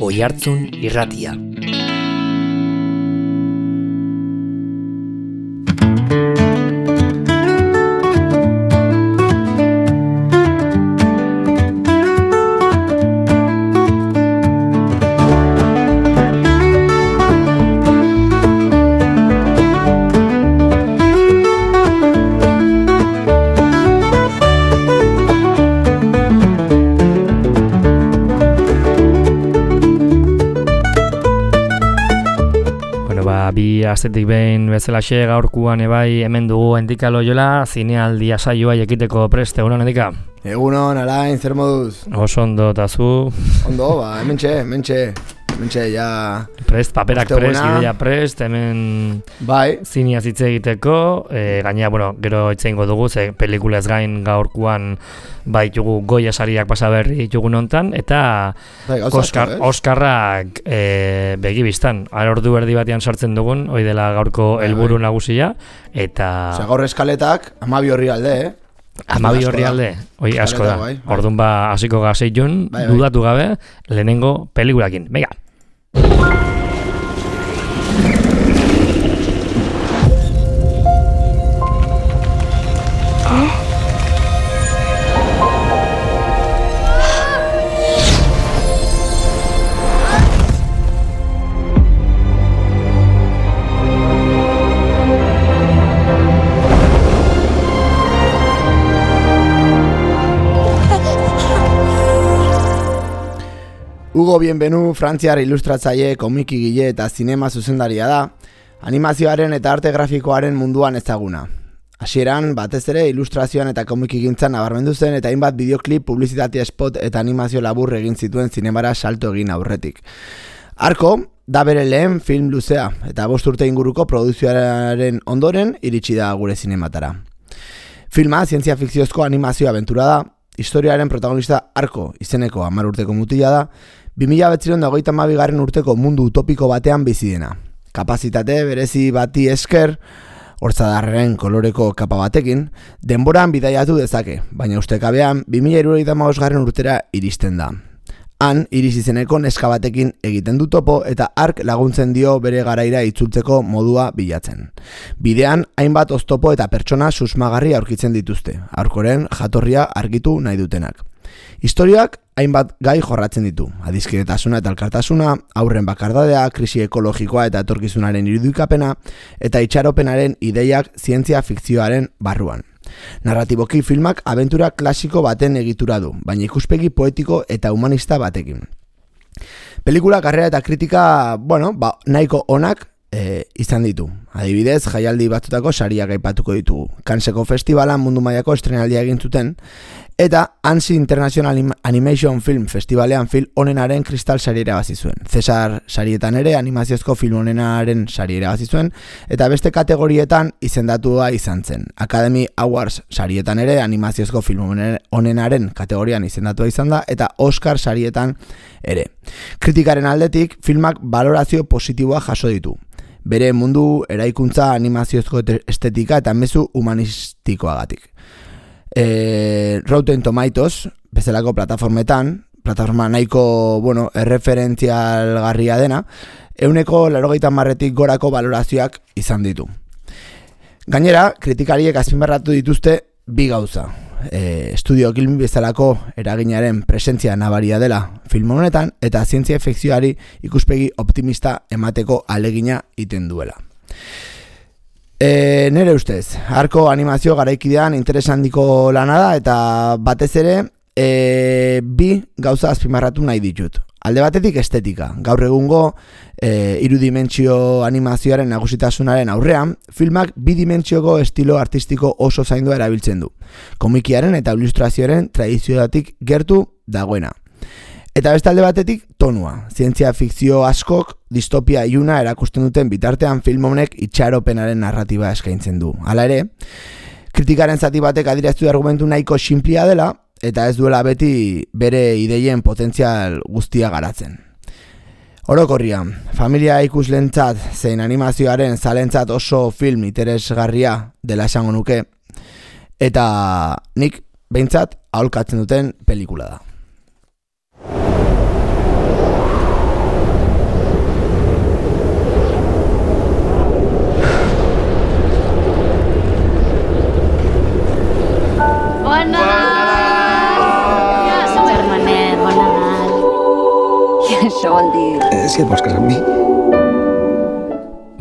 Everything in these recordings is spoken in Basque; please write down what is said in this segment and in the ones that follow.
Oihartzun Irratia. Bi astetik behin bezalaxe gaurkuan ebai hemen dugu Endika Loyola zinealdia saioa ekiteko prest. Egunon, Endika? Egunon, Alain, zer moduz? Oso ondo, eta zu? Ondo, hementxe, ja... Prest, paperak prest, ideia prest, hemen bai. Zineaz hitz egiteko, gainera, bueno, gero hitz egingo dugu, ze pelikulaz gain gaurkuan baitugu Goya sariak pasaberri ditugun hontan, eta bai, Oskarrak begibistan. Ordu erdi batean sartzen dugun, hoi dela gaurko helburu nagusia, eta... Osea, gaur eskaletak, 12 horri alde, Amabi horri alde, hoi asko da. Bai. Orduan hasiko gazeitun, dudatu gabe, lehenengo pelikulakin. Venga! Hugo Bienvenu, frantziar ilustratzaile, komikigile eta zinema zuzendaria da, animazioaren eta arte grafikoaren munduan ezaguna. Hasieran, batez ere, ilustrazioan eta komikigintzan nabarmendu zen eta hainbat bideoklip, publizitate spot eta animazio labur egin zituen zinemara salto egin aurretik. Arko, da bere lehen film luzea eta 5 urte inguruko produkzioaren ondoren iritsi da gure zinematara. Filma, zientzia fikziozko animazio abentura da, historiaren protagonista Arko izeneko 10 urteko mutila da, 2022 urteko mundu utopiko batean bizi dena. Kapazitate berezi bati esker, hortzadarren koloreko kapa batekin, denboran bidaiatu dezake, baina ustekabean 2075 urtera iristen da. Han, Iris izeneko neska batekin egiten du topo eta Ark laguntzen dio bere garaira itzultzeko modua bilatzen. Bidean, hainbat oztopo eta pertsona susmagarri aurkitzen dituzte, Arkoren jatorria argitu nahi dutenak. Historiak hainbat gai jorratzen ditu, adiskidetasuna eta elkartasuna, haurren bakardadea, krisi ekologikoa eta etorkizunaren irudikapena, eta itxaropenaren ideiak zientzia fikzioaren barruan. Narratiboki filmak abentura klasiko baten egitura du, baina ikuspegi poetiko eta humanista batekin. Pelikula, karrera eta kritika, nahiko onak izan ditu. Adibidez, jaialdi batzutako sariak aipatuko ditugu. Canneseko festivalan mundu mailako estrenaldia egin zuten, eta Annecy International Animation Film Festivalean film onenaren kristal sari irabazi zuen. Cesar sarietan ere animaziozko film onenaren sari irabazi zuen, eta beste kategorietan izendatua izan zen. Academy Awards sarietan ere animaziozko film onenaren kategorian izendatua izan da, eta Oscar sarietan ere. Kritikaren aldetik, filmak balorazio positiboa jaso ditu. Bere mundu eraikuntza animaziozko estetika eta mezu humanistikoagatik. Rotten Tomatoes, bezalako plataforma nahiko, erreferentzialgarria dena, 90% gorako balorazioak izan ditu. Gainera, kritikariek azpimarratu dituzte bi gauza. Estudio Gilby bezalako eraginaren presentzia nabaria dela film honetan eta zientzia fikzioari ikuspegi optimista emateko alegina iten duela. Nere ustez, Arko animazio garaikidean interes handiko lana da eta batez ere bi gauza azpimarratu nahi ditut. Alde batetik estetika. Gaur egungo irudimentsio animazioaren nagusitasunaren aurrean, filmak bidimentsioko estilo artistiko oso zaindua erabiltzen du. Komikiaren eta ilustrazioaren tradizioatik gertu dagoena. Eta beste alde batetik tonua. Zientzia fikzio askok distopia iluna erakusten duten bitartean film honek itxaropenaren narratiba eskaintzen du. Hala ere, kritikaren zati batek adieraztu argumentu nahiko sinplia dela, eta ez duela beti bere ideien potentzial guztia garatzen. Orokorrian, familia ikuslentzat zein animazioaren zalentzat oso film interesgarria dela esango nuke, eta nik behintzat, aholkatzen duten pelikula da. méchant dire. Si et vols casar amb mi?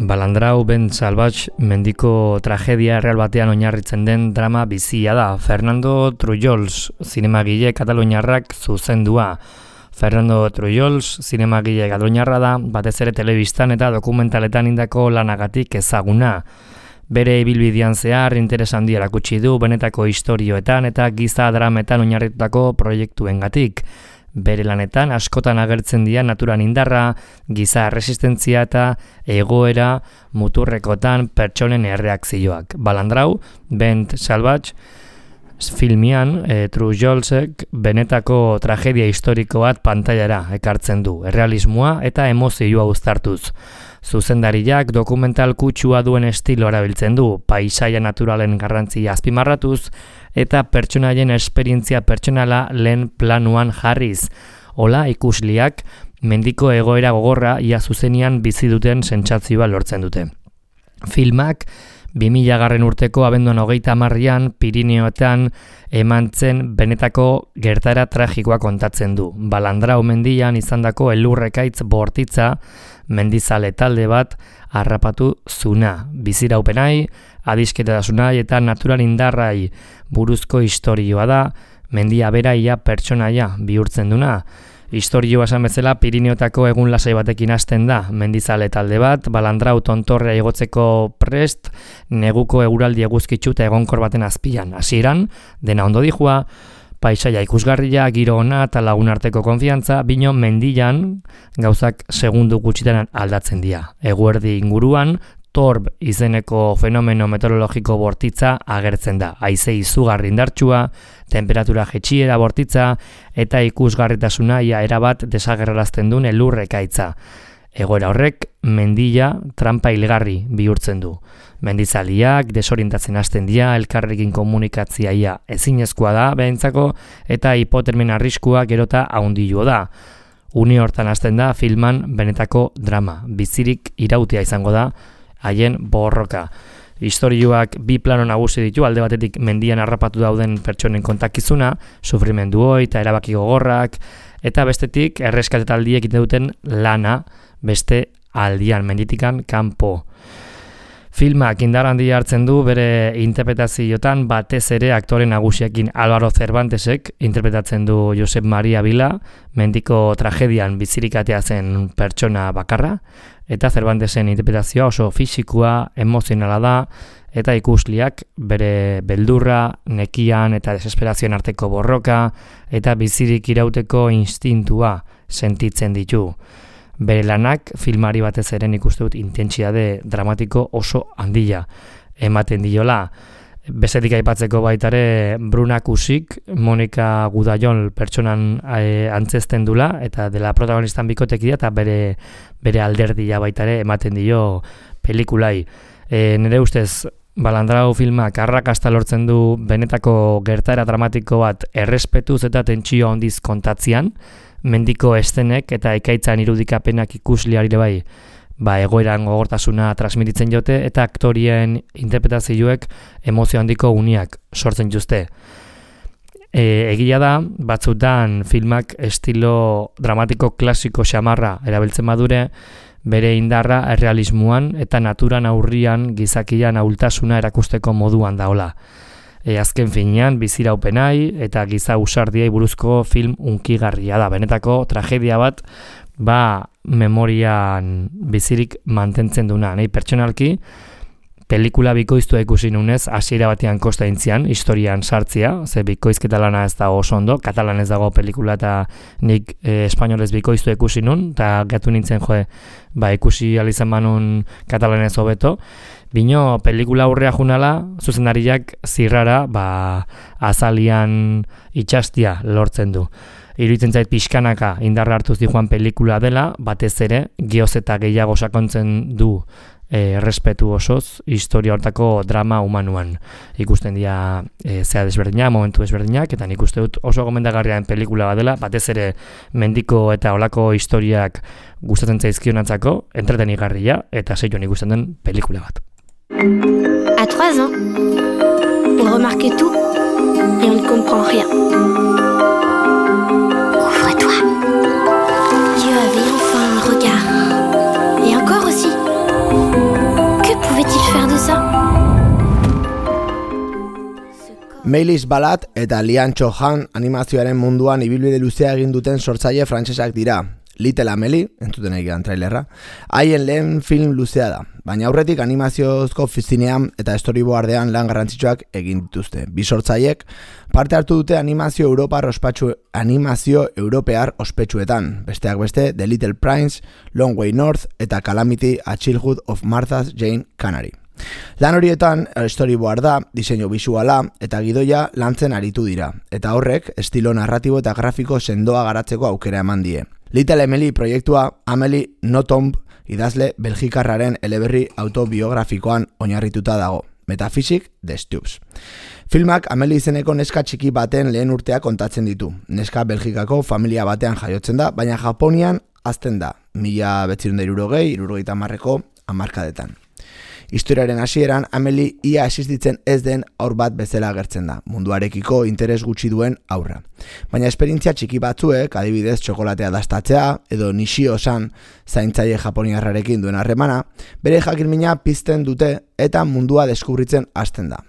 Balandrau Ben Salvage mendiko tragedia erreal batean oinarritzen den drama bizia da. Fernando Trujols, zinemagile kataluniarrak zuzendua. Fernando Trujols, zinemagile kataluniarra da, batez ere telebistan eta dokumentaletan indako lanagatik ezaguna. Bere ibilbidean zehar interes handia erakutsi du benetako istorioetan eta giza drametan oinarritutako proiektuengatik. Bere lanetan askotan agertzen dira naturan indarra, giza resistentzia eta egoera muturrekotan pertsonen erreakzioak. Balandrau, Ben Salvage, filmian Trujolsek benetako tragedia historiko bat pantailara ekartzen du, errealismoa eta emozioa uztartuz. Zuzendariak dokumental kutsua duen estilo erabiltzen du, paisaia naturalen garrantzia azpimarratuz eta pertsonaien esperientzia pertsonala lehen planuan jarriz. Hola ikusliak mendiko egoera gogorra ia zuzenian bizi duten sentsazioa lortzen dute. Filmak 2000 urteko abenduan 30 Pirineoetan eman zen benetako gertaera tragikoa kontatzen du. Balandrau mendian izandako elurrekaitz bortitza mendizale talde bat harrapatu zuna. Biziraupenai, adisketasunai eta natural indarrai buruzko istorioa da, mendia beraia pertsonaia bihurtzen duna. Istorioa esan bezala Pirineotako egun lasai batekin hasten da, mendizale talde bat, Balandrau tontorrea igotzeko prest, neguko eguraldi eguzkitsu eta egonkor baten azpian. Hasieran, dena ondo dijua, paisaia ikusgarria, giro ona eta lagun arteko konfiantza, bino mendian gauzak segundu gutxitan aldatzen dira. Eguerdi inguruan, Torb izeneko fenomeno meteorologiko bortitza agertzen da. Haize izugarri indartsua, temperatura jetxiera bortitza eta ikusgarritasuna ia erabat desagerrarazten duen elurrekaitza. Egoera horrek mendia trampa hilgarri bihurtzen du. Mendizaliak desorientatzen hasten dira, elkarrekin komunikatzia ia ezinezkoa da behintzako eta hipotermien arriskua gerota haundillo da. Une hortan hasten da filman benetako drama. Bizirik irautia izango da haien borroka. Istorioak bi plano nagusi ditu, alde batetik mendian harrapatu dauden pertsonen kontakizuna, sufrimenduoi eta erabaki gogorrak, eta bestetik erreskate taldiek egiten duten lana beste aldian, menditikan kanpo. Filmak indar handia hartzen du bere interpretazioetan batez ere aktore nagusiekin. Álvaro Cervantesek interpretatzen du Josep Maria Vila, mendiko tragedian bizirik atea zen pertsona bakarra, eta Cervantesen interpretazioa oso fisikoa, emozionala da, eta ikusliak bere beldurra, nekian eta desesperazioan arteko borroka, eta bizirik irauteko instintua sentitzen ditu. Bere lanak filmari batez ere ikuste dut intentsitate dramatiko oso handia ematen diola. Bestetik aipatzeko baitare Bruna Kusik, Monika Gudallon pertsonan antzesten dula eta dela protagonistan bikotekidea eta bere alderdia baitare ematen dio pelikulai. Nire ustez Balandrau filmak arrakasta lortzen du benetako gertaera dramatiko bat errespetuz eta tentsio handiz kontatzean, mendiko estenek eta ekaitzan irudikapenak ikusliari bai, egoeran gogortasuna transmititzen jote eta aktorien interpretazioek emozio handiko uniak sortzen juzte. Egia da, batzutan filmak estilo dramatiko klasiko xamarra erabiltzen badure, bere indarra errealismoan eta naturan aurrian gizakian ahultasuna erakusteko moduan daola. Azken finean, biziraupenai eta giza usardiai buruzko film unkigarria da. Benetako tragedia bat, memorian bizirik mantentzen duna. Nei pertsonalki, pelikula bikoiztua ikusi nunez, hasiera batean kosta intzian, historian sartzia, ze bikoizketa lana ez da oso ondo, katalanez dago pelikula eta nik espainolez bikoiztua ikusi nun, eta gatu nintzen ikusi alizan manun katalanez hobeto. Bino, pelikula aurrea junala, zuzendariak zirrara, azalian itxastia lortzen du. Iruditzen zait pixkanaka indarra hartuz dijoan pelikula dela, batez ere, geoz eta gehiago sakontzen du errespetu osoz, historia hortako drama humanuan. Ikusten dira zea desberdinak, momentu desberdinak, eta nik uste dut oso gomendagarriaren pelikula bat dela, batez ere mendiko eta olako historiak gustatzen zaizkionatzako, entretenigarria, eta zeion ikusten den pelikula bat. À 3 ans, on remarquait tout et on ne comprend rien. Ouvre-toi. Dieu avait Melis Balat eta Lian Cho-han animazioaren munduan ibilbide luzea egin duten sortzaile frantsesak dira. Little Amelie, entzuten egian trailerra, haien lehen film luzea da, baina aurretik animaziozko fizinean eta storyboardean lan garrantzitsuak egin dituzte. Bi sortzaileek parte hartu dute animazio europear ospetsuetan, besteak beste The Little Prince, Long Way North eta Calamity, A Childhood of Martha's Jane Canary. Lan horietan storyboarda, diseinu bisuala eta gidoia lantzen aritu dira, eta horrek estilo narratibo eta grafiko sendoa garatzeko aukera eman die. Little Emily proiektua Amelie Nothomb idazle belgikarraren eleberri autobiografikoan oinarrituta dago, Metaphysics the Stoops. Filmak Amelie izeneko neska txiki baten lehen urtea kontatzen ditu. Neska Belgikako familia batean jaiotzen da, baina Japonian hazten da, 1960-70ko hamarkadetan. Historiaren hasieran Amelie ia existitzen ez den haur bat bezala agertzen da, munduarekiko interes gutxi duen haurra. Baina esperientzia txiki batzuek, adibidez txokolatea dastatzea edo Nishio-san zaintzaile japoniarrarekin duen harremana, bere jakimina pizten dute eta mundua deskubritzen hasten da.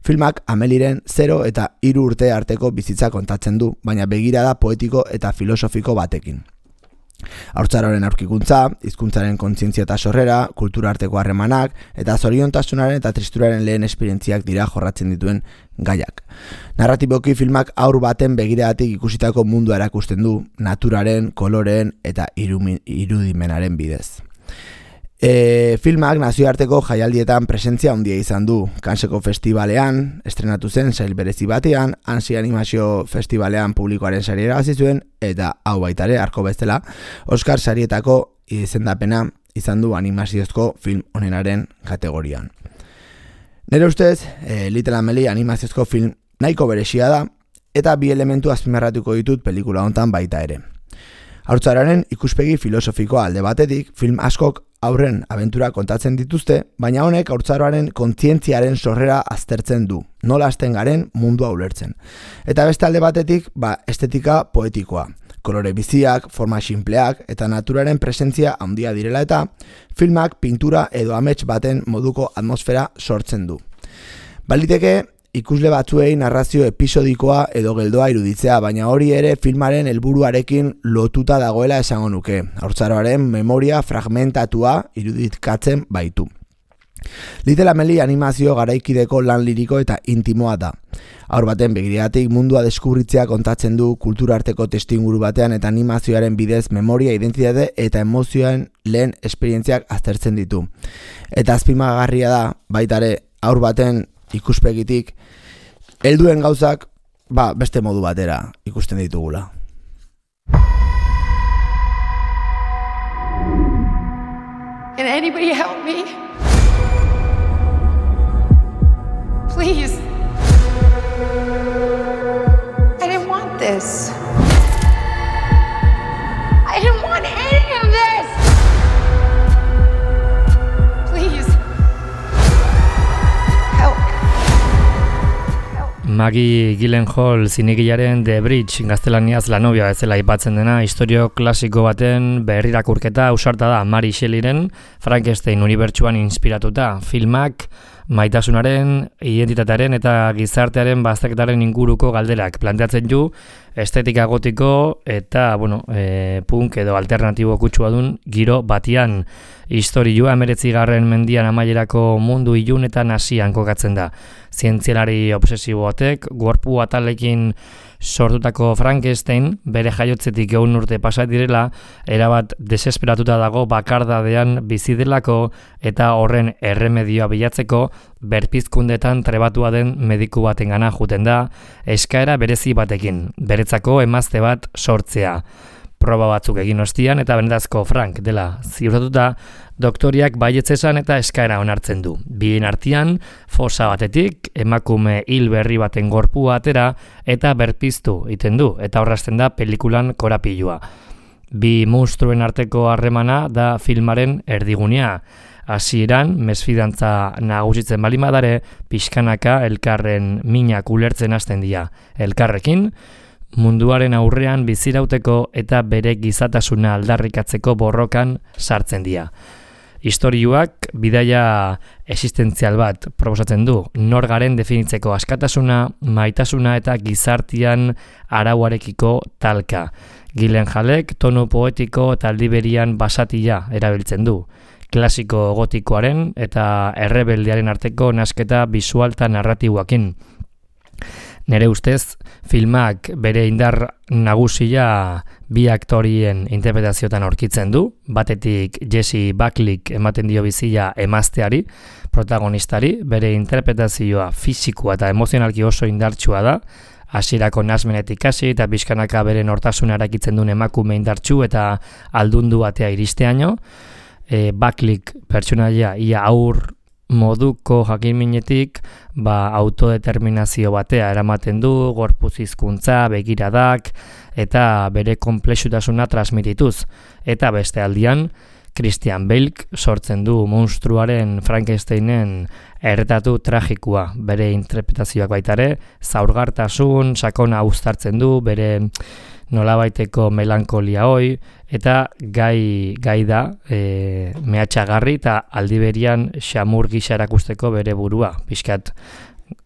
Filmak Ameliren 0 eta 3 urte arteko bizitza kontatzen du, baina begirada poetiko eta filosofiko batekin. Haurtzaroaren aurkikuntza, hizkuntzaren kontzientzia eta sorrera, kultura arteko harremanak eta zoriontasunaren eta tristuraren lehen esperientziak dira jorratzen dituen gaiak. Narratiboki filmak haur baten begiradatik ikusitako mundua erakusten du, naturaren, koloreen eta irudimenaren bidez. Filmak nazioarteko jaialdietan presentzia handia izan du. Kanseko festivalean estrenatu zen sail berezi batean, Ansi Animazio Festivalean publikoaren saria irabazi zuen eta hau baitare arko bestela Oscar sarietako izendapena izan du animaziozko film onenaren kategorian. Nere ustez, Little Amelie animaziozko film nahiko berezia da eta bi elementu azpimarratuko ditut pelikula hontan baita ere. Haurtzararen ikuspegi filosofikoa alde batetik, film askok haurren abentura kontatzen dituzte, baina honek haurtzaroaren kontzientziaren sorrera aztertzen du, nola hasten garen mundua ulertzen. Eta beste alde batetik, estetika poetikoa, kolore biziak, forma sinpleak eta naturaren presentzia handia direla eta filmak pintura edo amets baten moduko atmosfera sortzen du. Baliteke, ikusle batzuei narrazio episodikoa edo geldoa iruditzea, baina hori ere filmaren helburuarekin lotuta dagoela esango nuke. Haurtzaroaren memoria fragmentatua irudikatzen baitu. Little Amelie animazio garaikideko lan liriko eta intimoa da. Haur baten begiratik mundua deskubritzea kontatzen du kultura arteko testuinguru batean eta animazioaren bidez memoria, identitate eta emozioen lehen esperientziak aztertzen ditu. Eta azpimagarria da, baitare haur baten ikuspegitik, helduen gauzak beste modu batera ikusten ditugula. Can anybody help me? Please. I didn't want this. I didn't want any of this. Please. Help. Maggie Gyllenhaal zinegilaren The Bridge gaztelaniaz La Novia bezala aipatzen dena istorio klasiko baten berrirakurketa ausarta da Mary Shelleyren Frankenstein unibertsuan inspiratuta. Filmak maitasunaren, identitatearen eta gizartearen bazterketaren inguruko galderak planteatzen du estetika gotiko eta punk edo alternatibo kutsua dun giro batian. Istorioa 19. mendian amaierako mundu ilunetan hasian kokatzen da. Zientzialari obsesibo batek gorpu atalekin sortutako Frankenstein bere jaiotzetik 1 urte pasa direla erabat desesperatuta dago bakardadean bizi delako eta horren erremedioa bilatzeko berpizkundetan trebatua den mediku batengana joeten da eskaera berezi batekin, beretzako emazte bat sortzea. Proba batzuk egin ostian eta benetazko Frank dela ziurtatuta, doktoriak baietzesan eta eskaera onartzen du. Bien artean, fosa batetik, emakume hil berri baten gorpua atera eta berpiztu egiten du, eta horrazten da pelikulan korapilua. Bi monstruen arteko harremana da filmaren erdigunea. Hasieran, mesfidantza nagusitzen balimadare, pixkanaka elkarren minak ulertzen hasten dira. Elkarrekin, munduaren aurrean bizirauteko eta bere gizatasuna aldarrikatzeko borrokan sartzen dira. Istorioak bidaia existentzial bat proposatzen du, nor garen definitzeko askatasuna, maitasuna eta gizartian arauarekiko talka. Gyllenhaalek tonu poetiko eta aldiberian basatia erabiltzen du. Klasiko gotikoaren eta errebeldearen arteko nasketa bisual eta narratiboakin. Nere ustez, filmak bere indar nagusia bi aktorien interpretaziotan aurkitzen du, batetik Jesse Buckleyk ematen dio bizia emazteari, protagonistari, bere interpretazioa fisikoa eta emozionalki oso indartsua da, hasierako nasmenetik hasi eta pixkanaka bere nortasuna erakitzen duen emakume indartsu eta aldundu batea iristeaino, Buckleyk pertsonaia ia aur moduko jakinminetik autodeterminazio batea eramaten du, gorputz hizkuntza, begiradak eta bere konplexutasuna transmitituz. Eta beste aldian, Christian Bale sortzen du monstruaren Frankensteinen erretatu tragikoa. Bere interpretazioak baitare, zaurgartasun, sakona uztartzen du, bere nolabaiteko melankolia hoi, eta gai da mehatxagarri eta aldiberian xamur gisa erakusteko bere burua. Piskat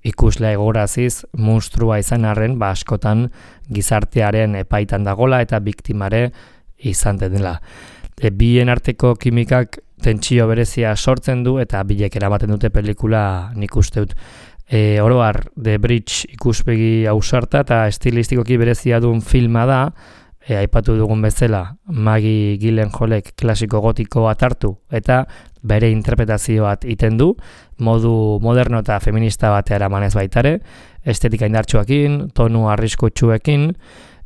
ikuslea egoraziz monstrua izan arren, askotan gizartearen epaitan dagola eta biktimare izan dela. Bien arteko kimikak tentsio berezia sortzen du eta bilek eramaten dute pelikula nik uste dut. Oroar, The Bridge ikuspegi ausarta eta estilistikoki berezia duen filma da, aipatu dugun bezala, Maggie Gyllenhaalek klasiko gotiko atartu eta bere interpretazioat iten du, modu moderno eta feminista batea eramanez baitare, estetika indartsuekin, tonu arriskutsuekin,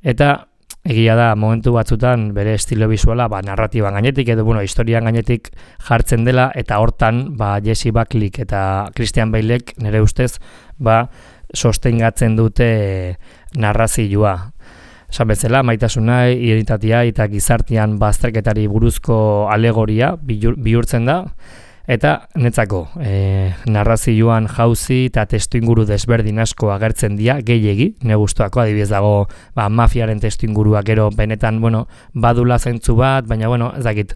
eta egia da, momentu batzutan bere estilo bisuala narratiban gainetik edo historian gainetik jartzen dela eta hortan Jesse Buckleyk eta Christian Balek nire ustez sostengatzen dute narrazioa. Esan bezala, maitasuna, identitatea eta gizartean bazterketari buruzko alegoria bihurtzen da. Eta netzako, narrazioan jauzi eta testuinguru desberdin asko agertzen dira, gehiegi, negustuako, adibidez dago mafiaren testuingurua gero benetan, badula zentzu bat, baina, ez dakit,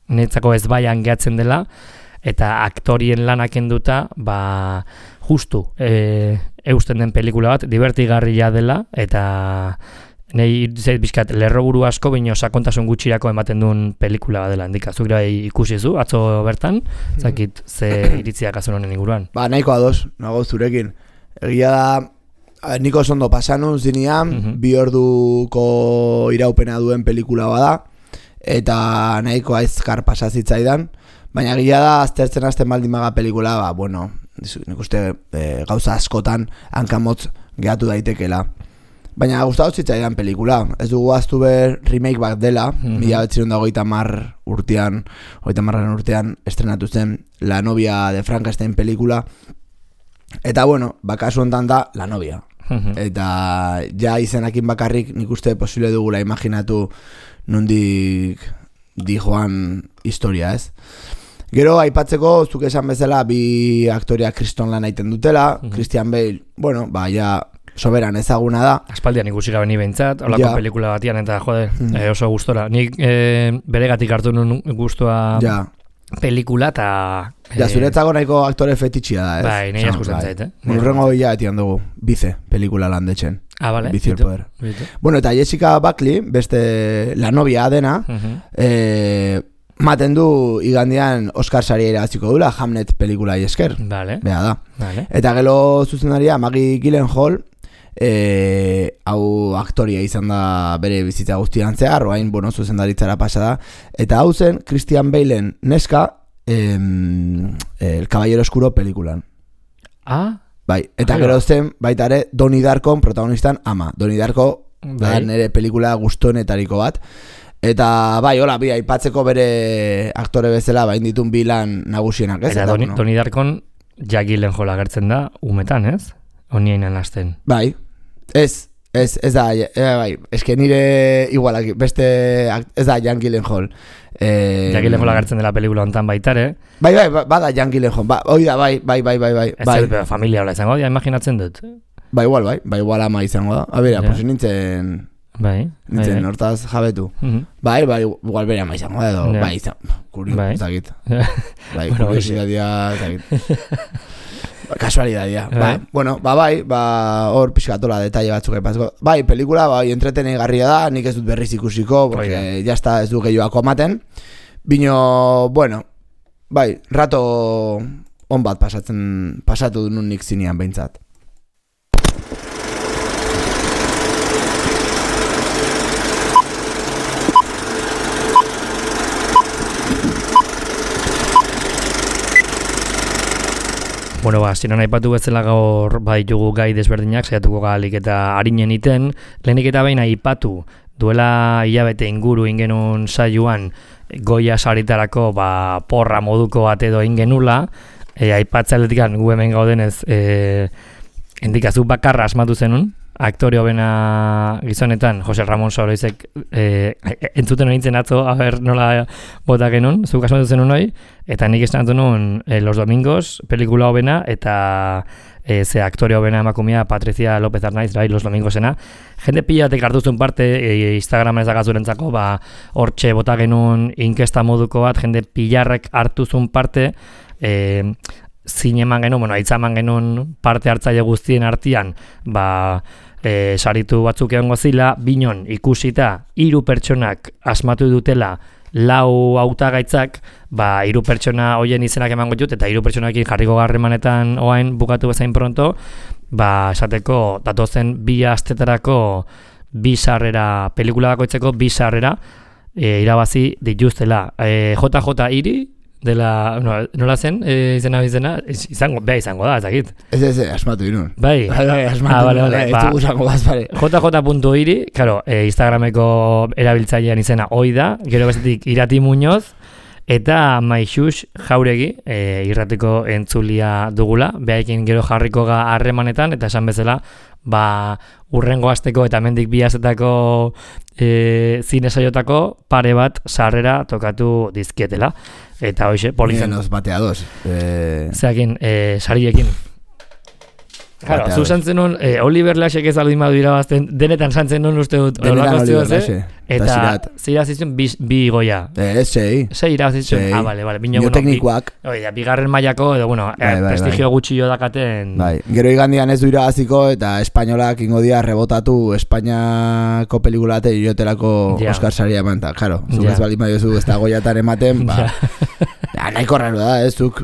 netzako ez baian gehatzen dela, eta aktorien lanak enduta, justu, eusten den pelikula bat, divertigarria dela, eta nahi zait bizkat lerroburu asko baino sakontasun gutxirako ematen duen pelikula bat dela. Zuk ikusi zu, atzo bertan, zakit ze iritziak azun honen inguruan. Nahiko ados, nago zurekin. Egia da, niko ondo pasanun zinean, 2 orduko iraupena duen pelikula bada, eta nahiko aizkar pasazitzaidan, baina egia da, aztertzen hasten baldin maga pelikula, nik uste gauza askotan hankamotz gehatu daitekela. Baina gustatu zitzaidan pelikula. Ez dugu aztu ber remake bat dela, 1930 urtean estrenatu zen La novia de Frankenstein pelikula. Eta kasu hontan da La novia. Eta ja izenakin bakarrik nik uste posible dugula imaginatu nondik dijoan historia, ez? Gero aipatzeko, zuk esan bezala, bi aktoreak kriston lan aiten dutela, Christian Bale, ja soberan ezaguna da. Aspaldian ikusi gabe ni behintzat, holako pelikula batian eta oso gustora. Nik beregatik hartu nun gustua pelikula eta... zuretzako nahiko aktore fetitxia da, ez? Bai, nahi askusten zait, Nurrengo etian dugu, Bize pelikula landetzen. Bale. Bizi el poder. Eta Jessica Buckley, beste La novia dena, maten du igandean Oscar saria irabaziko dula Hamlet pelikula esker. Vale. Bea da. Vale. Eta gero zuzendaria Maggie Gyllenhaal, hau aktoria izan da bere bizitza guztian zehar, oain zuzendaritzara pasa da. Eta hau zen Christian Balen neska El Caballero Oscuro pelikulan. Bai, eta gero zen baitare Donnie Darkon protagonistan ama. Donnie Darko da nire pelikula gustonetariko bat. Eta hola, aipatzeko bere aktore bezala ditun bi lan nagusienak, ez? Eta Donnie Darkon Jack Gyllenhaal agertzen da umetan, ez? Oniainan hasten. Bai, ez da, eske nire igualak, beste, ez da Jack Gyllenhaal. Jack Gyllenhaal agertzen dela pelikula hontan baitare. Bai, bada Jack Gyllenhaal, bai, Ez familia hola izango, imaginatzen dut. Igual ama izango da. A bera, pues nintzen... Bai, nintzen hortaz jabetu. Bai, igual bere ama izango da edo, Bai. Zakit. Bai, Bueno, kuriosidadia, zakit. Kasualidadia. Bai. Bueno, hor pixkatola detalle batzuk aipatzeko. Bai, pelikula, entretenegarria da, nik ez dut berriz ikusiko, porque ya está, ez du gehiago amaten. Bino, bueno, bai, rato on bat pasatu nun nik zinean behintzat. Bueno, ziren aipatu bezala gaur ditugu gai desberdinak, saiatuko galik eta harinen iten. Lehenik eta behin aipatu duela hilabete inguru ingenun saioan Goya saritarako porra moduko bat edo ingenula. Aipatzaletik gu hemen gaudenez indikazu bakarra asmatu zenun. Aktore hobena gizonetan, Jose Ramon Soroizek entzuten nintzen atzo, nola bota genuen, zuk asmatu zenun hori, eta nik esanatu nuen Los Domingos, pelikula hobena, eta ze aktore hobena emakumea Patricia López Arnaiz, Los Domingosena. Jende pilatek hartuzun parte, Instagramen ez dakazurentzako, hortxe bota genuen inkesta moduko bat, jende pilarrek hartuzun parte, zineman genuen, aitzaman genuen parte hartzaile guztien artean, saritu batzuk egongo zila, binon ikusita 3 pertsonak asmatu dutela 4 hautagaitzak, 3 pertsona hoien izenak emango ditut, eta 3 pertsonakin jarriko harremanetan oain bukatu bezain pronto, esateko datozen 2 astetarako 2 sarrera, pelikula bakoitzeko 2 sarrera irabazi dituztela. JJ Iri, dela, nola zen, izena, izango da, ezakit. Ez, asmatu inun. Bai, asmatu inun, JJ.iri, claro, Instagrameko erabiltzailean izena hoi da, gero bestetik Irati Muñoz, eta Maixux Jauregi, irratiko entzulia dugula, behaekin gero jarriko ga harremanetan, eta esan bezala, urrengo asteko eta mendik 2 asetako zine saiotako pare bat sarrera tokatu dizkietela. Eta hoxe, polizen. Menos bateados. Zeakin, sariekin. Claro, zu santzen nun, Oliver Lasek ez aldin badu irabazten, denetan santzen nun uste dut. Denetan Oliver Lase. Eta zirazizun 2 goia. Sei. Sei irabazizun. Bale. Bioteknikoak. Bigarren mailako, edo, prestigio gutxillo dakaten. Bai, gero igandian ez du irabaziko, eta espainolak ingo dia rebotatu Espainiako pelikulate iotelako Oscar saria emanta. Claro, zuk ez baldin badiozu ez da goiatan ematen, nahiko raro da, ez zuk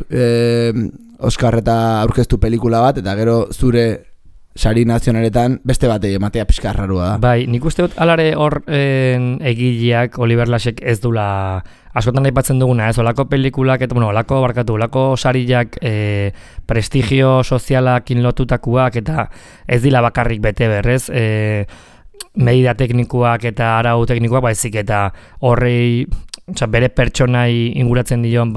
Oscar eta aurkeztu pelikula bat, eta gero zure sari nazionaletan beste batei ematea pixka rarua da. Bai, nik uste dut alare hor egileak Oliver Lasek ez dula askotan aipatzen duguna, ez, olako pelikulak, eta olako sariak prestigio sozialakin lotutakuak, eta ez dila bakarrik bete berrez, medida teknikuak eta arau teknikoak, baizik eta horrei, bere pertsonai inguratzen dion,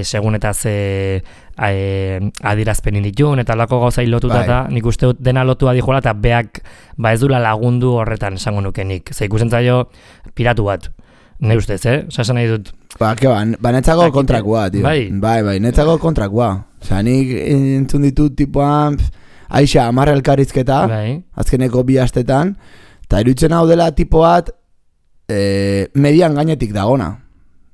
segun eta ze adirazpenin ditun, eta lako gauzai lotuta, eta nik uste dut dena lotua dijola, eta beak ez dula lagundu horretan esango nukenik. Ze ikusten zaio piratu bat, ne ustez, esan nahi dut. Netzako kontrakoa, tio. Bai, netzako kontrakoa. Osa, nik entzun ditut tipuan, aixa, 10 elkarrizketa, azkeneko 2 astetan, eta iruditzen hau dela tipo bat, median gainetik dagona.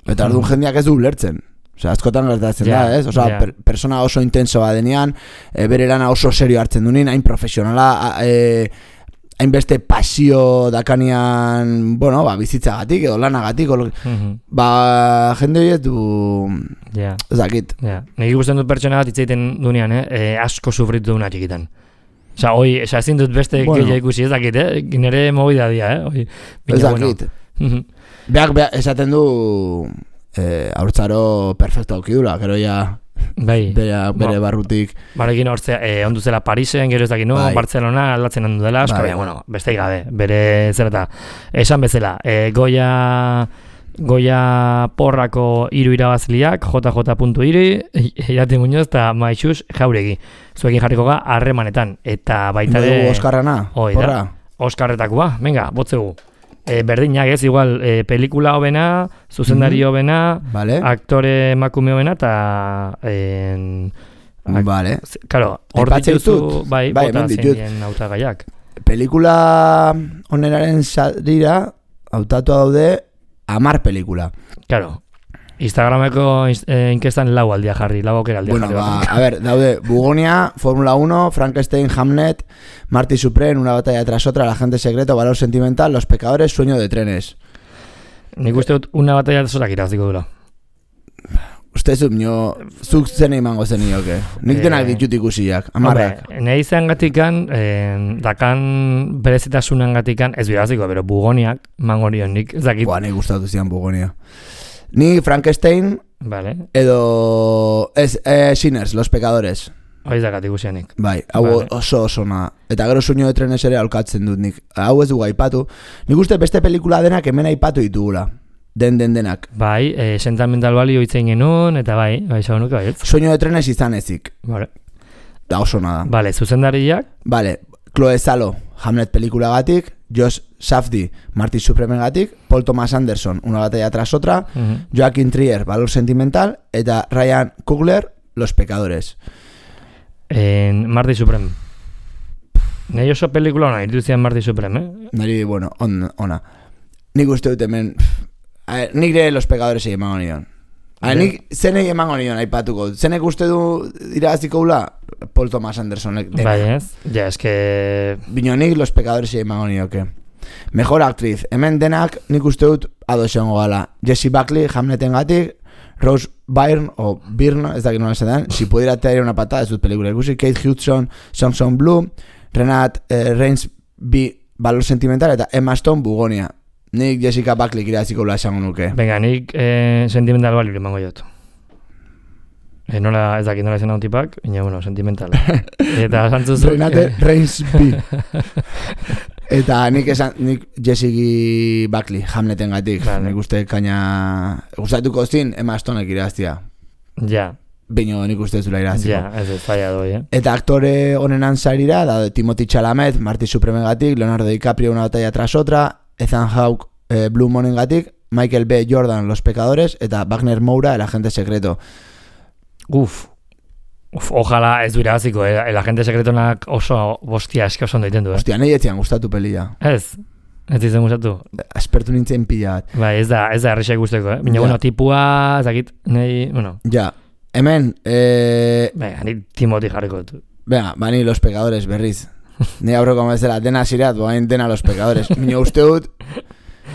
Eta orduan jendeak ez du ulertzen. Osea, askotan gertatzen da, ez? Osea, persona oso intensoa denean, bere lana oso serio hartzen dunin, hain profesionala, hainbeste pasio dakanean, bizitzagatik edo lanagatik, jende horiek du ezakit. Nik ikusten dut pertsona bat itzaiten dunean, asko sufritu duna txikitan. Osea, ezin dut beste gehiago ikusi, ezakit, nire movida dia, ezakit. Beak esaten du haurtzaro perfecto aukidula, gero ya bere barrutik. Barekin hortzea, ondu zela Parisen, gero ez dakit, Barcelona aldatzen ondu dela, beste gabe, bere zerata. Esan bezala, Goya porrako 3 irabazliak, JJ.iri, Irati Muñoz eta Maixux Jauregi. Zuekin jarriko ga harremanetan, eta baita de... Oskarrana, porra. Oskarretakoa, venga, botzegu. Berdinak ez, igual, pelikula hobena, zuzendari hobena, aktore emakume hobena, eta... Claro, hor dituzu, bota zein hautagaiak. Pelikula oneraren sarira, hautatua daude 10 pelikula. Claro. Instagrameko inkestan 4 aldia jarri, 4 aukera aldia Bueno, jarri. a ver, daude Bugonia, Fórmula 1, Frankenstein, Hamnet, Marty Supreme, Una batalla tras otra, El agente secreto, Valor sentimental, Los pecadores, Sueño de trenes. Nik uste dut una batalla zorak iraziko dula. Uste zuk zen emango zen nioke. Nik denak ditut ikusiak, amarrak. Nahi izan gatikan, dakan berezitasunan gatikan, ez biraziko, pero Bugoniak, mangorion nik, zakit. Nahi gustatu zian Bugonia. Ni Frankenstein, Vale. edo Sinners, Los pecadores. Hoi zakat ikusianik. Bai, hau Vale. oso na. Eta gero Sueño de trenes ere aulkatzen dut nik. Hau ez dugu aipatu. Nik uste beste pelikula denak hemen aipatu ditugula. Denak. Bai, sentimental balio itzen genuen, eta bai, esan nuke baietz. Sueño de trenes izan ezik. Vale. Da oso nada. Vale, zuzendariak, Vale, Chloe Zhao, Hamlet pelikulagatik, Josh Safdie, Marty Supremegatik, Paul Thomas Anderson, Una batalla tras otra, Joaquin Trier, Valor sentimental, eta Ryan Coogler, Los pecadores. Marty Supreme. Nei oso pelikula hona, iruditzean Marty Supreme, Nari, bueno, ona. Nik uste dut hemen... nik ere Los pecadores emango nion. Nik zenei emango nion aipatuko. Zenek uste du irabaziko gula? Paul Thomas Andersonek. Bai ez? Ja, eske... Bino nik Los pecadores emango nioke. Mejor actriz. Hemen denak nik uste dut adosengo gala. Jessie Buckley, Hamleten gatik, Rose Byrne, o Byrne, ez dakit nola esan, Si pudiera traer una patada, ez dut pelikula ikusi, Kate Hudson, Songs on Blue, Renat Reinsby, Valor sentimental, eta Emma Stone, Bugonia. Nik Jessica Buckley irabaziko gula esango nuke. Venga, nik sentimental balio emango jot. Nola, ez dakit nola izan hau tipak, baina, bueno, sentimental. Eta santzuzu... Renate Reinsby. Eta nik Jessie Buckley, Hamleten gatik. Vale. Nik uste kaina... Gustatuko zin, Emma Stonek irabaztia. Ja, Bino nik uste zula irabaziko. ja, ez falla doi, Eta aktore honenan sarira, da Timothy Chalamet, Marty Supremegatik, Leonardo DiCaprio, Una batalla tras otra, Ethan Hawke, Blue Monengatik, Michael B. Jordan, Los pecadores, eta Wagner Moura, El agente secreto. Ojalá ez du irabaziko, el agente sekretonak oso bostia eske oso ondo egiten du, Hostia, nahi etzian gustatu pelia. Ez izan gustatu. Aspertu nintzen pila bat. Bai, ez da errexak guzteko, Baina, Ja. bueno, tipua, zakit, nahi, bueno, Ja, hemen, Venga, ni Timothy jarriko dut. venga, bani Los pecadores berriz. Ni aurreko bezala, dena zireat, boain dena Los pecadores. Mino uste dut,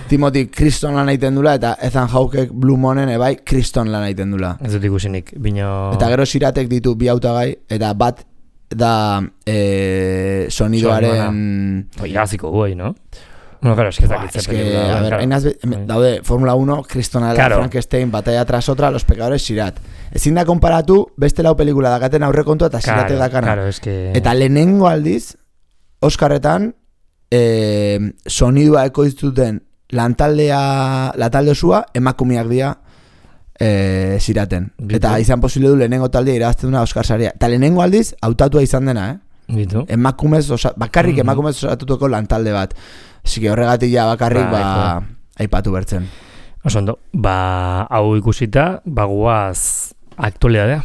Timothy kriston lan egiten dula, eta Ethan Hawkek Blue Monen ebai kriston lan egiten dula. Ez dut ikusinik, bino... Eta gero ziratek ditu bi hautagai, eta bat da sonidoaren... Irabaziko guai, no? Bueno, claro, eske zakitze Es que, pelikula. a ver, claro. daude Fórmula 1, Kristonala, Claro. Frankenstein, Batalla tras otra, Los pecadores, zirat. Ezin da konparatu, beste lau pelikula dakaten aurrekontua eta ziratek dakana. Claro, eske... Eta lehenengo aldiz, Oscarretan, sonidua ekoiztuten lantalde osua emakumeak dira ziraten. Bitu. Eta izan posible du lehenengo taldea irabazten duna Oscar saria. Eta lehenengo aldiz, hautatua izan dena, Bitu. emakumez, bakarrik emakumez osatuteko lantalde bat. Así que horregatik ja bakarrik aipatu bertzen. Oso ondo, hau ikusita, guaz aktualidadea.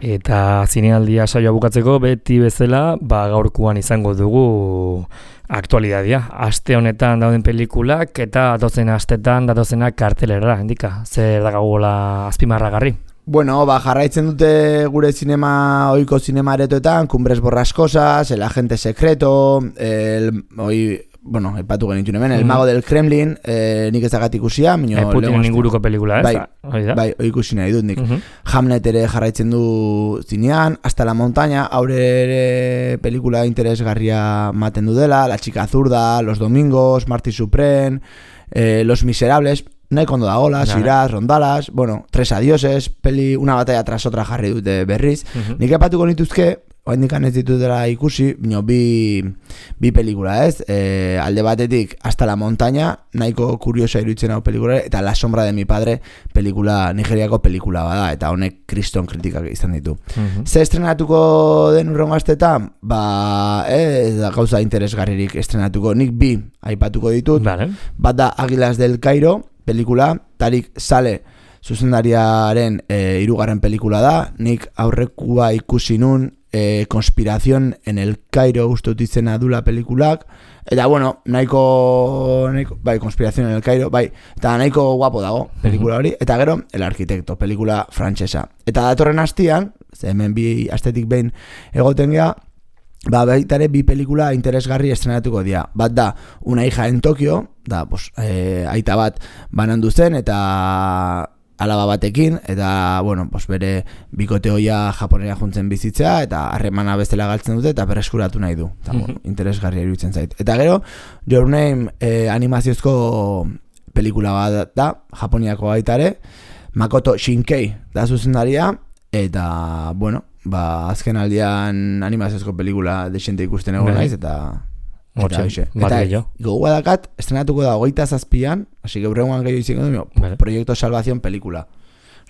Eta zinealdia saioa bukatzeko beti bezala, gaurkoan izango dugu aktualidadea. Aste honetan dauden pelikulak eta datozen astetan datozenak kartelera, indika. Zer dakagola azpimarragarri? Bueno, jarraitzen dute gure zinema, ohiko zinema aretoetan, Cumbres Borrascosas, El agente secreto, bueno, epatu genitun hemen, El mago del Kremlin, nik ez dagat ikusia, Putinen inguruko pelikula, ez? Bai, ikusi nahi dut nik. Hamlet ere jarraitzen du zinean, Hasta la montaña, aurre ere pelikula interesgarria maten du dela, La chica zurda, Los domingos, Marty Supreme, Los miserables, nahiko ondo dagoela, Siraz, Rondalas, bueno, Tres adioses, Una batalla tras otra jarri dute berriz. Nik epatuko nituzke, oaindikan ez ditutela ikusi, bi pelikula, ez? Alde batetik, Hasta la montaña, nahiko kuriosa iruditzen hau pelikula, eta La sombra de mi padre, nigeriako pelikula bada, eta honek kriston kritikak izan ditu. Ze estrenatuko den urrengo astetan? Ez da gauza interesgarririk estrenatuko, nik bi aipatuko ditut. Vale. Bat da Águilas del Cairo, pelikula, Tarik Saleh zuzendariaren 3. pelikula da, nik aurrekua ikusi nun, Conspiración en el Cairo uste dut izena dula pelikulak, eta bueno, nahiko bai, Conspiración en el Cairo, bai, eta nahiko guapo dago pelikula hori, eta gero El Arquitecto, pelikula frantsesa. Eta datorren astian, hemen bi astetik behin egoten gea, baita ere 2 pelikula interesgarri estrenatuko dira. Bat da, Una hija en Tokio, da, aita bat banandu zen, eta alaba batekin, eta, bueno, bere bikote hoia Japonera juntzen bizitzea, eta harremana bestela galtzen dute, eta berreskuratu nahi du. Eta, interesgarria iruditzen zait. Eta gero, Your Name animaziozko pelikula bat da, Japoniako baita ere, Makoto Shinkei da zuzendaria, eta, bueno, azken aldian animaziozko pelikula desente ikusten egon naiz, eta gogoa dakat, estrenatuko da 27an, hasi geurrengoan gehiago izango du, Proyecto Salvación pelikula.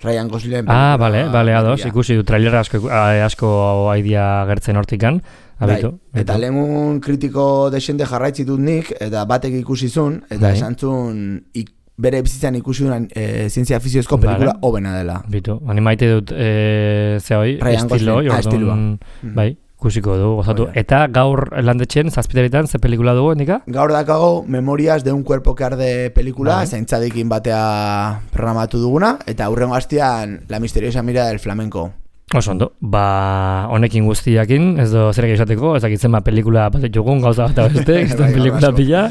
Ryan Gosling. Bale, ados, ikusi du trailera asko aidia gertzen hortikan. Eta lehengun kritiko desente jarraitzitut nik, eta batek ikusizun, eta esan zuen bere bizitzan ikusi duen zientzia fiziozko pelikula hobena dela. Animaite dut estilo, bai. Ikusiko du, gozatu. Eta gaur landetxen, 7:00 ze pelikula dugu, endika? Gaur dakago Memorias de un cuerpo que arde pelikula, zaintzadekin batea programatu duguna, eta hurrengo hastian La misteriosa mirada del flamenco. Oso ondo, honekin guztiakin, ez do zerek esateko, ez dakitzen pelikula bat jugun, gauza bat beste, ez pelikula pila.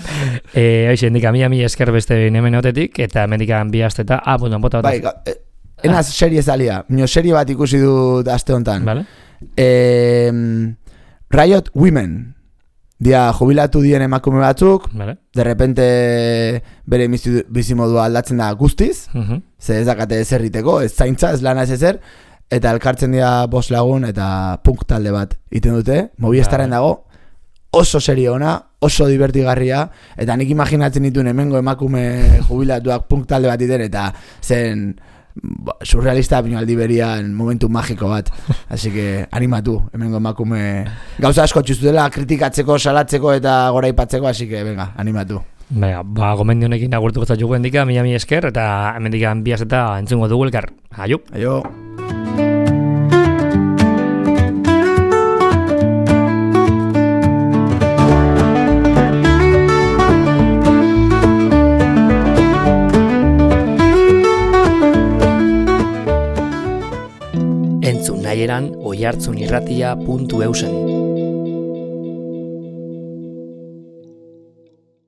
Hoxe, endika, mi esker beste hemen otetik, eta mendikan bi asteta, bota. Bai, enaz serie zalia, serie bat ikusi dut aste honetan. Vale. Riot Women dia jubilatu dien emakume batzuk, de repente bere bizimodua aldatzen da guztiz, ze ez dakate ezerriteko, ez zaintza, ez lana ez ezer, eta elkartzen dira 5 lagun eta punk talde bat iten dute, Movistarren dago, oso serie ona, oso divertigarria, eta nik imaginatzen dituen hemengo emakume jubilatuak punk talde bat iten, eta zen surrealista aldi berian momentu magiko bat, así que animatu, hemengo emakume gauza asko txuzutela kritikatzeko, salatzeko eta goraipatzeko, así que venga, animatu. Gomendio honekin agurtuko zaitu endika, mi esker, eta hemendikan biaz eta entzungo dugu elkar. Aio. Entzun nahieran oihartzunirratia.eusen